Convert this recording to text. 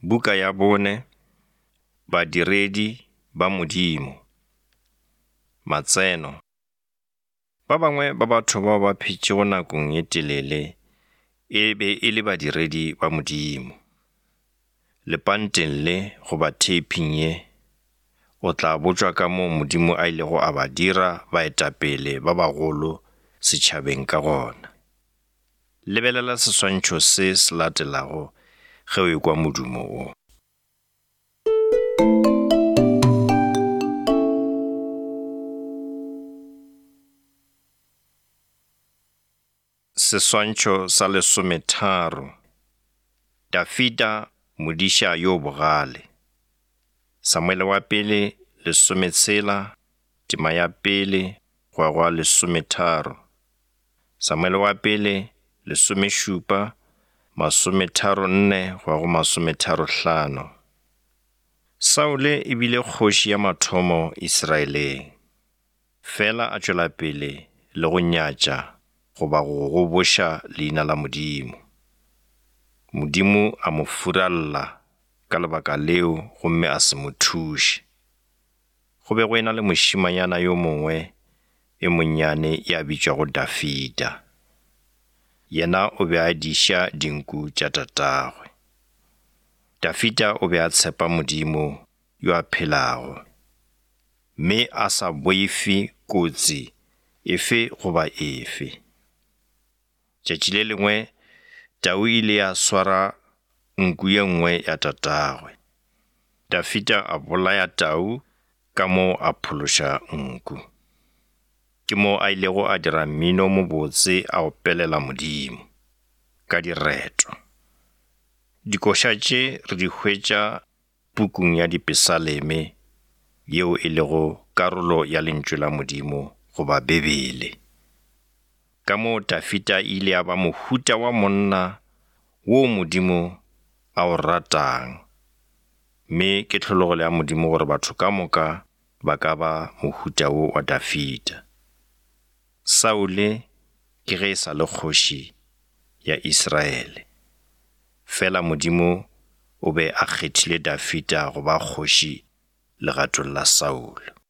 Buka ya bone, Badiredi ba Modimo. Matseno. Ba bangwe ba batho bao ba phetšego nakong ye telele e be e le badiredi ba Modimo. Lepanteng le goba theiping ye, o tla botšwa kamoo Modimo a ilego a ba dira baetapele ba bagolo setšhabeng ka gona. Lebelela seswantšho se se latelago ge o ekwa modumo wo. Seswantšho sa lesometharo. Dafida, modiša yo bogale. Samuele wa pele, lesometshela, tema ya pele, go ya go ya lesometharo. Samuele wa pele, lesomešupa, masometharonne go ya go masometharohlano. Saule e bile kgoši ya mathomo Isiraeleng. Fela a tšwela pele le go nyatša goba go goboša leina la Modimo. Modimo a mo furalla ka lebaka leo gomme a se mo thuše. Go be go ena le mošemanyana yo mongwe e monnyane ya bitšwago Dafida. Yena o be a diša dinku tša tatagwe. Dafida o be a tshepa Modimo yo a phelago, mme a sa boife kotsi efe goba efe. Tšatši le lengwe tau e ile ya swara nku ye nngwe ya tatagwe. Dafida a bolaya tau ka moo a phološa nku. Ke moo a ilego a dira mmino o mobotse a opelela Modimo ka direto. Dikoša tše re di hwetša pukung ya Dipesaleme yeo e lego karolo ya Lentšu la Modimo goba Bibele. Ka moo Dafida e ile ya ba mohuta wa monna woo Modimo a o ratang, mme ke tlhologelo ya Modimo gore batho ka moka ba ka ba mohuta wo wa Dafida. Saule ke ge e sa le kgoši ya Israele. Fela Modimo o be a kgethile Dafida go ba kgoši legatong la Saulo.